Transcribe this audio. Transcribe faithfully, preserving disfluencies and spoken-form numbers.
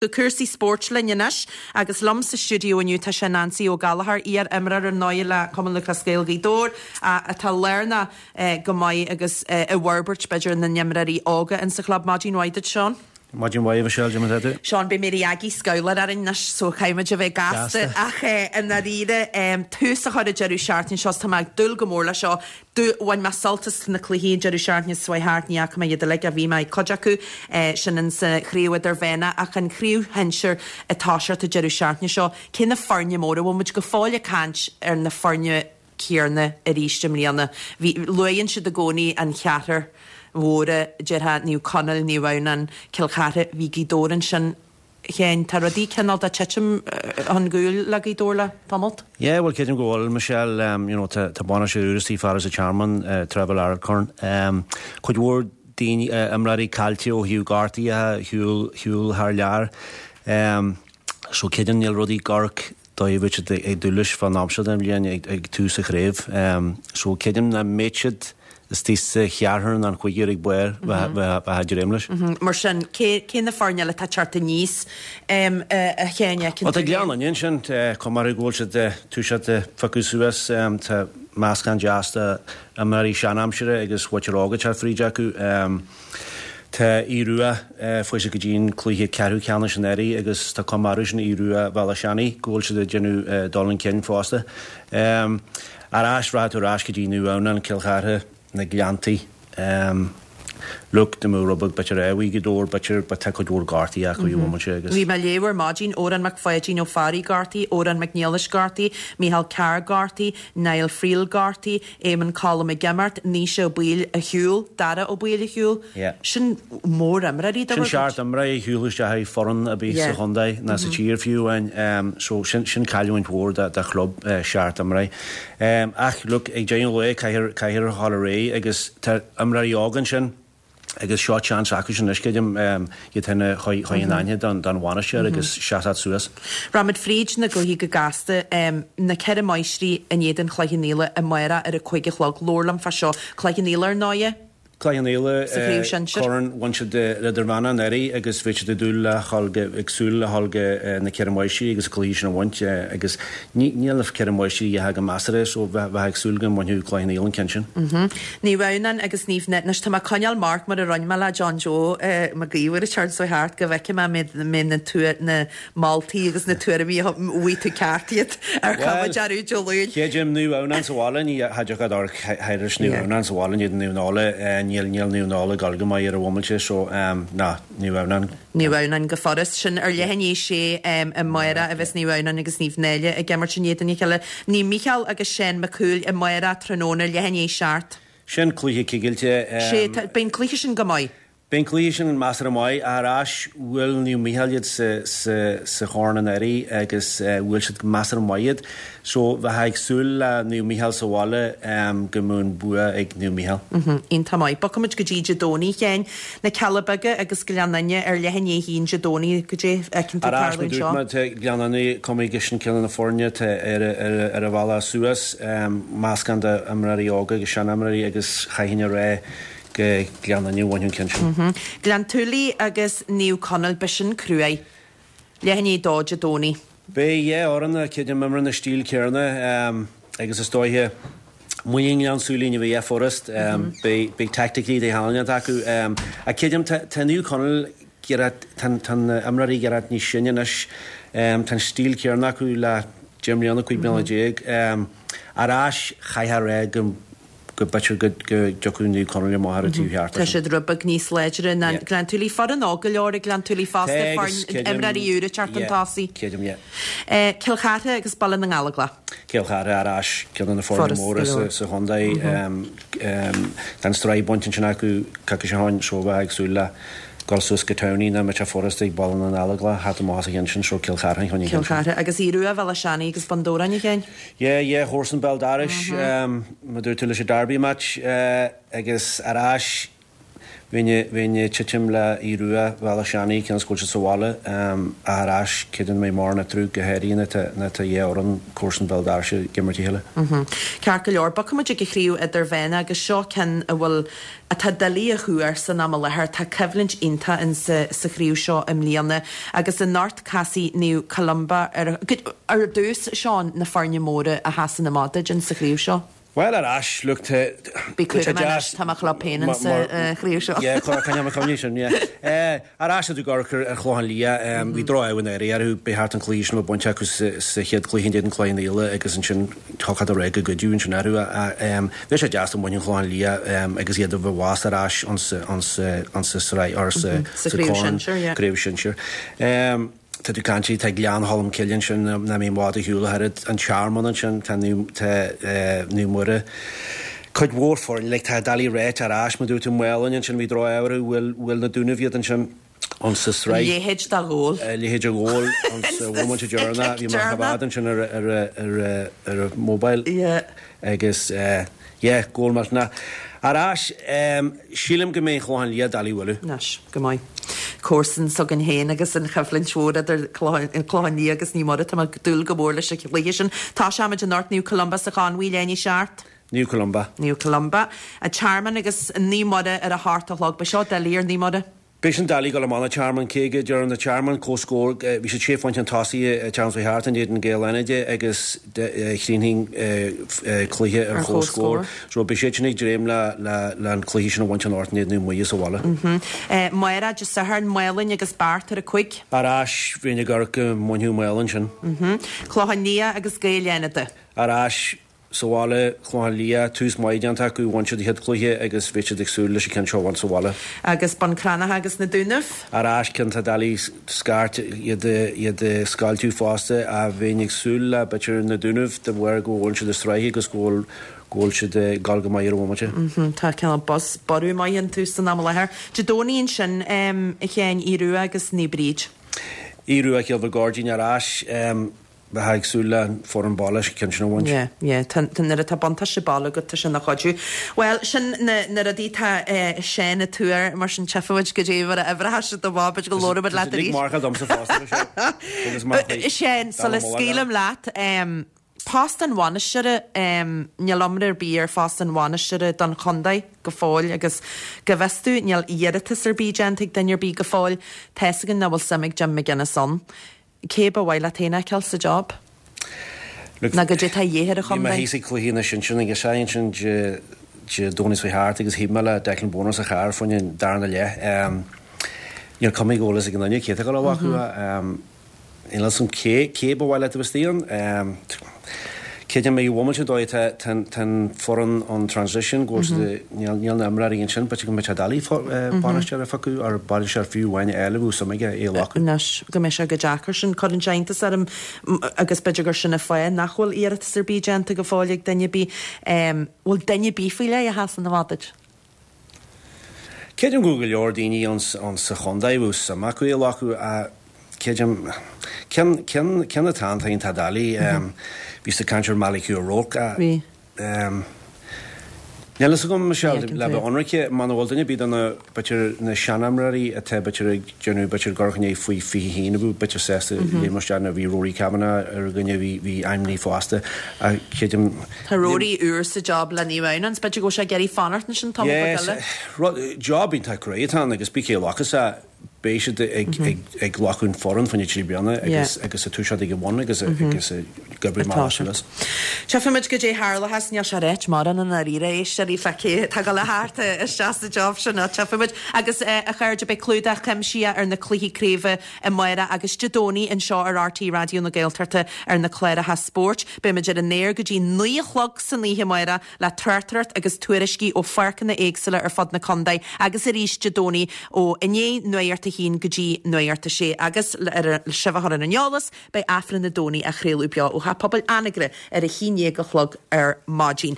Go cúrsaí spóirt linn anois agus liom sa stiúideo inniu tá sé Nancy Ó Gallchóir, iar-imreoir ar ndóigh le Cumann Lúthchleas Gael Ghaoth Dobhair atá lárnach go maith agus i bhforbairt b'fhéidir na n-imreoirí óga insa chlub. Maidin mhaith duit, Seán. Maidin mhaith, Michelle, cad é mar atá tú? Seán, beidh Mary Aggie scabhlar orainn anois so caithfimid a bheith gasta ach i ndáiríre tús a chur an deireadh seachtaine seo tá mé ag dúil go mór leis seo. Bhain mé sult as na cluichí an deireadh seachtaine seo thart, ní fhaca mé iad uilig ach bhí mé ag cuid acu, sin insa chraobh idirmheánach ach an chraobh shinsir ag toiseacht an deireadh seachtaine seo. Cé na foirne móra? Bhfuil muid go fóill ag caint ar na foirne céanna arís i mbliana? Bhí, luaigheann siad i gcónaí an cheathrar mhóra, déarfá, Naomh Conaill, Naomh Adhamhnáin, Cill Chartha, bhí Gaoth Dobhair ansin. Sheáin, tá rudaí cineál de titim chun cúil le Gaoth Dobhair le tamalt. Yeah, bhuel creidim go bhfuil, Michelle, um, you know, tá, tá bainisteoir úr istigh fear as an Tearmann, uh, Trevor Larkhorn. Um, cuid mhór daoine, uh, imreoirí caillte ó thaobh gortaithe, shiúl, shiúl thar lear. Um, so creidim níl rudaí ag amharc dóigh a bhí siad ag dúil leis fán am seo den bhliain ag, ag tús an chraobh. Um, so creidim nach mbeidh siad istigh sa cheathrar nó an chúigear ag barr bheith ag dréim leis. Mar sin, cé, cé na foirne eile atá ag teacht aníos um, a Sheáin? Ó tá Gleann Fhinne ansin, cuma orthu go bhfuil siad toiseacht ag piocadh suas, tá meascán deas de imreoirí seanaimsire agus muintir óg ag teacht fríd acu. Tá Aodh Rua fuair siad go dtí an cluiche ceathrú ceannais anuraidh agus tá cuma orthu sin Aodh Rua Bhéal Átha Seanaidh go bhfuil siad ag déanamh dul chun cinn fosta. Ar ais, rachaidh tú ar ais go dtí Naomh Adhamhnáin, Cill Chartha, na Gleanntaí. Look, dá mbeadh rud beag b'fhéidir ar Ghaoth Dobhair, b'fhéidir, but tá cuid mhór gortaithe acu i bhfomaite agus. Bhí mé ag léamh ar maidin, Odhrán Mac Pháidín Ó Fearraigh gortaithe, Odhrán Mac Niallais gortaithe, Micheál Carr gortaithe, Niall Friel gortaithe, Éamonn Colm ag imeacht, Naoise Ó Baoill ar shiúl, Dara Ó Baoill ar shiúl. Yeah. Sin mór-imreoirí do Sin seacht imreoir a shiúil isteach i foireann ar bith sa chontae ná sa tír fiú amháin. So sin, sin cailliúint mhór do, do chlub, seacht imreoir. Ach look, ag deireadh an lae caithfear, caithfear a dhul ar aghaidh agus tá imreoirí óga ansin agus seo chance acu sin anois, creidim, iad féin a chur in aithne don, don bhainisteoir agus seasamh suas. Rachaimid fríd na gcluichí go gasta, na Ceithre Máistrí in éadan Chloich Cheann Fhaola amárach ar a cúig a chlog. Labhair liom fá seo. Cloich Cheann Fhaola ar ndóighe. Cloich Cheann Fhaola, Sa chraobh sinsir. Corn, bhain siad idirmheánach anuraidh agus bhí siad ag dúil le dhul go, ag súil le dhul go na Ceithre Máistrí agus an cluiche sin a bhaint agus ní, níl na Ceithre Máistrí a dhath go measartha so bheith, bheith ag súil go mbainfeadh Cloich Cheann Fhaola an ceann sin. Naomh Adhamhnáin agus Naomh Náille. Anois tá mé ag coinneáil marc mar a rinne mé le John Joe Mac Íomhair an tseachtain seo thart go bhfeicfidh mé mé, mé na tua, na moltaí agus na tuairimí a bhfaighidh tú ceart iad ar chuma Bhuel, dearúd Dé Luain. Creidim Naomh Adhamhnáin sa bhaile, ní cha dtiocfadh amharc thairis Naomh Adhamhnáin sa bhaile, ní Naomh Náille, níl níl Naomh Náille ag dul go maith ar an bhomaite so ná Naomh Adhamhnáin. Naomh Adhamhnáin go furast. Sin ar leath i ndiaidh a sé amárach a bheas Naomh Adhamhnáin agus Naomh Náille ag imirt in éadan a chéile. Naomh Mícheál agus Seán Mac Cumhaill amárach tráthnóna leath i ndiaidh a seacht. Sin cluiche cigilte. Sé, beidh an cluiche sin go maith. Beidh an cluiche sin measartha maith. Ar ais, bhuail Naomh Mícheál iad sa, sa, sa chorn anuraidh agus bhuail siad go measartha maith iad. So, bheifeá ag súil le Naomh Mícheál sa bhaile go mbeadh an bua ag Naomh Mícheál. Iontach maith. Bogfaimid go dtí Dé Domhnaigh, a Sheáin. Na Cealla Beaga agus Gleann Fhinne ar leath i ndiaidh a haon Dé Domhnaigh. Goidé a fheiceann tú Ar ais, tarlú mar dúirt anseo? mé, tá Gleann Fhinne cuma go sin ceann de na foirne atá ar, ar, ar a bhealach suas. Meascán d'imreoirí óga agus seanimreoirí agus chaithfinn a rá go Gleann Fhinne a bhainfeadh an ceann sin. Gleann tSúilí agus Naomh Conaill, beidh sin cruaidh. Leath i ndiaidh a dó Dé Domhnaigh. Beidh dhá fhoireann creidim imreann na stíl céanna agus is dóiche muinín Ghleann tSúilí ní bheidh furast. Beidh beidh tactically de thallann acu. Ach creidim tá tá Naomh Conaill giorra tá tá na imreoirí giorra níos sine anois. Tá an stíl céanna acu le deich mbliana, cúig bliana déag. Ar ais chaithfeá a rá go go b'fhéidir go dtiocfadh Naomh Conaill amach ar an taobh cheart Tá siad rud beag níos láidre ná Gleann tSúilí. Foireann óg go leor ag Gleann tSúilí fosta, foireann imreoirí úra ag teacht chun tosaigh. Creidim, yeah. Cill Chartha agus Baile na nGallóglach. Cill Chartha ar ais, ceann de na foirne móra sa chontae. Tá an sraith bainte ansin acu coicís ó shin, so bheifeá ag súil le dul suas go Townie nach mbeadh sé furast ag Baile na nGallóglach theacht amach as an cheann sin, so Cill Chartha an cheann Cill Chartha agus Aodh Rua Bhéal Átha Seanaidh agus Bun Dobhráin, a Sheáin. Yeah, yeah, comharsan béal dorais, mar dúirt tú leis an derby match agus ar ais Bheinn ag titim le Aodh Rua Bhealach Seanaidh cionn is go bhfuil siad sa bhaile ach ar ais creidim go mbeidh mórán eatarthu go háirithe nuair atá nuair atá dhá fhoireann comharsan Bhéal Doirse ag imirt a chéile. Ceart go leor, bogfaidh muid ag an chraobh idirmheánach agus seo ceann a bhfuil atá doiligh a thuar san am i láthair. Tá coimhlint iontach in sa sa chraobh seo i mbliana agus anocht casfaidh Naomh Columba ar ar dtús Seán na foirne móra a sheasann amach duit in sa chraobh seo. Bhuel ar ais, look tá Bí cúramach anois, tá mo chlub féin in sa chraobh seo. Yeah, coinneoidh mé cuimhne sin, yeah. Ar ais ag amharc ar Chlochán Liath, bhí droch-ádh in éirí orthu, ba cheart an cluiche sin a bheith bainte acu sa chéad chluiche in éadan Cloich Cheann Fhaola agus ansin thiocfadh ar aghaidh go goideadh ansin orthu. Bheadh sé deas dá mbainfeadh an Clochán Liath agus iad a bheith bhfás ar ais ansa sraith or sa Chraobh Shinsir, yeah. Craobh Shinsir. Tá tú ag caint, tá Gleann Cholm Cille ansin nach mbeidh i bhfad ar shiúl ach oiread, an Tearmann ansin, tá tá Naomh Muire, cuid mhór foirne, like tá doiligh a ráit ar ais, mar dúirt tú Maolainn ansin, bhí droch-ádh orthu, bhuail, bhuail na Dúnaibh iad ansin an sa sraith. A leithéid de ghól. A leithéid de ghól an sa bhomaite deireanach, bhí mé á choimhéad ansin ar ar ar ar an mobile. Yeah. Agus yeah, gól millteanach. Ar ais, sílim go mbeidh an Clochán Liath doiligh a bhualadh. Anois, go maith. Comharsan s'againn féin agus an choimhlint mhór idir Clochán Liath agus Naomh Muire, tá mé ag dúil go mór leis an chluiche sin. Tosóimid anocht, Naomh Columba sa Chonmhaigh, leath i ndiaidh a seacht. Naomh Columba. Naomh Columba. An Tearmann agus Naomh Muire ar a hocht a chlog. Beidh seo doiligh ar Naomh Muire. Beidh sin doiligh dul amach an Tearmann cé go deireann an Tearmann comhscór, bhí siad sé phointe chun tosaigh an tseachtain seo thart in éadan Gaeil Fhánada agus chríochnaigh an cluiche ar comhscór. So beidh siad sin ag dréim le le an cluiche sin a bhaint anocht in éadan Naomh Muire sa bhaile. Amárach Dé Sathairn, Maolainn agus Beart ar a cúig. Ar ais, bheinn ag amharc go mbainfeadh Maolainn sin. Clochán Liath agus Gaeil Fhánada. Ar ais, Sa bhaile, Clochán Liath, tús maith déanta acu, bhain siad a chéad chluiche agus bheadh siad ag súil leis an ceann seo a bhaint sa bhaile. Agus Bun Cranncha agus na Dúnaibh. Ar ais, ceann atá doiligh scairt iad iad a scoilteadh fosta ach bheinn ag súil le b'fhéidir na Dúnaibh de bharr go bhfuil siad i sraith agus go bhfuil go bhfuil siad ag dul go maith ar an bhomaite. Tá cineál buzz, borradh maith iontu san am i láthair. Dé Domhnaigh ansin, a Sheáin, Aodh Rua agus Naomh Bríd. Aodh Rua Cill Mhic Goirdín ar ais. Bheifeá ag súil le an foireann baile an ceann sin a bhaint. Yeah, yeah, tá, tá, nuair atá buntáiste baile agat, tá sin ina chuidiú. Bhuel, sin na, na rudaí atá Seán ag tuar, mar sin tchífimid goidé mar a oibreoidh siad amach, b'fhéidir go labhróimid leat arís. Tá siad ag marcáil domsa fosta, Michelle. Agus mar chuid. Seán, sula scaoilim leat, em, post an bhainisteora, em, níl iomrá ar bith ar phost an bhainisteora don chontae go fóill agus go bhfios domh níl iarratas ar bith déanta ag duine ar bith go fóill. Tá fhios againn nach bhfuil suim ag Jim McGuinness ann. Cé ba mhaith leat féin a fheiceáil sa job? Look, Nó goidé atá de dhíth ar an bhí mé chontae? thíos ag cluiche na sinsear ag a sé ansin Dé Dé Domhnaigh seo thart agus thaobh mé le Declan Bonner sa charr fá choinne an darna leath. Níl cuma ag eolas ag an duine cé atá ag dul a bheith acu. Níl fhios agam cé cé ba mhaith leat a bheith istigh ann. Creidim i bhomaite dóigh tá tá an foireann on transition go bhfuil siad níl níl na imreoirí ansin b'fhéidir go mbeadh sé doiligh bainisteoir a phiocadh or bainisteoir fiú amháin a fháil a bheadh suim aige é a ghlacadh. Anois go mbeidh sé go deacair sin cuireann sé iontas orm agus b'fhéidir gur sin an fáth nach bhfuil iarratas ar bith déanta go fóill ag duine ar bith. Bhfuil duine ar bith faoi leith a sheasann amach duit? Creidim go bhfuil go leor daoine ann sa chontae a bhfuil suim acu é a ghlacadh ach Creidim, ceann, ceann, ceann atá ann, tá doiligh, bhí siad ag caint ar Malachy O'Rourke a, Bhí. Níl fhios agam, Michelle, Ní fheiceann le tú bheith é. ionraice, muna bhfuil duine ar bith de na, b'fhéidir, na seanimreoirí atá, b'fhéidir, ag déanamh, b'fhéidir, gur ghné faoi fiche haon a bheadh, b'fhéidir, sásta léim isteach nó bhí Rory Kavanagh ar dhuine a bhí, bhí ainmnithe fosta ach creidim, Tá Rory úr sa job le Naomh Adhamhnáin, b'fhéidir go bhfuil sé ag iarraidh fanacht ansin tamall beag Yes, eile. rud, job iontach cruaidh atá ann agus bí cé a ghlacfas é, beidh siad ag glacadh an foireann fá choinne trí bliana agus agus ag toiseacht ag an bhun agus agus ag oibriú amach suas. Tchífimid goidé tharlóchas, níl sé ráite mórán i ndáiríre, éisteoirí fá cé atá ag dul a theacht isteach sa job sin ach tchífimid. Agus a chairde, beidh clúdach cuimsitheach ar na cluichí craoibhe amárach agus Dé Domhnaigh anseo ar RTÉ Raidió na Gaeltachta ar na cláracha spóirt. Beimid ar an aer go dtí naoi a chlog san oíche amárach le tráchtaireacht agus tuairiscí ó pháirceanna éagsúla ar fud na contae agus arís Dé Domhnaigh ó i ndiaidh Nuacht a haon go dtí Nuacht a sé agus le sibh a chur ar an eolas, beidh Aifreann an Domhnaigh á chraoladh beo ó Theach Pobail Anagaire ar a haon déag a chlog ar maidin.